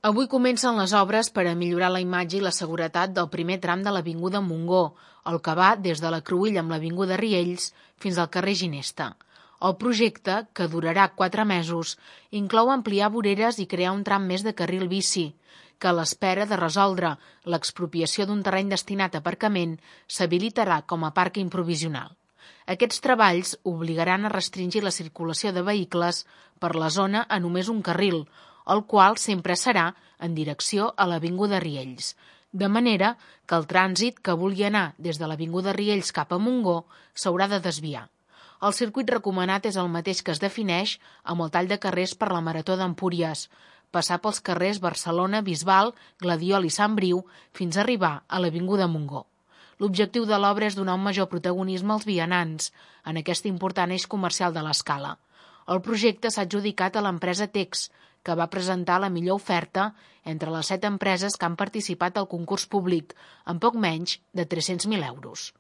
Avui comencen les obres per a millorar la imatge i la seguretat del primer tram de l'Avinguda Montgó, el que va des de la Cruïlla amb l'Avinguda Riells fins al carrer Ginesta. El projecte, que durarà 4 mesos, inclou ampliar voreres i crear un tram més de carril bici, que a l'espera de resoldre l'expropiació d'un terreny destinat a aparcament s'habilitarà com a pàrquing provisional. Aquests treballs obligaran a restringir la circulació de vehicles per la zona a només un carril, el qual sempre serà en direcció a l'Avinguda Riells, de manera que el trànsit que vulgui anar des de l'Avinguda Riells cap a Montgó s'haurà de desviar. El circuit recomanat és el mateix que es defineix amb el tall de carrers per la Marató d'Empúries, passar pels carrers Barcelona, Bisbal, Gladiol i Sant Briu fins a arribar a l'Avinguda Montgó. L'objectiu de l'obra és donar un major protagonisme als vianants en aquest important eix comercial de l'Escala. El projecte s'ha adjudicat a l'empresa Tex, que va presentar la millor oferta entre les 7 empreses que han participat al concurs públic, amb poc menys de 300.000 euros.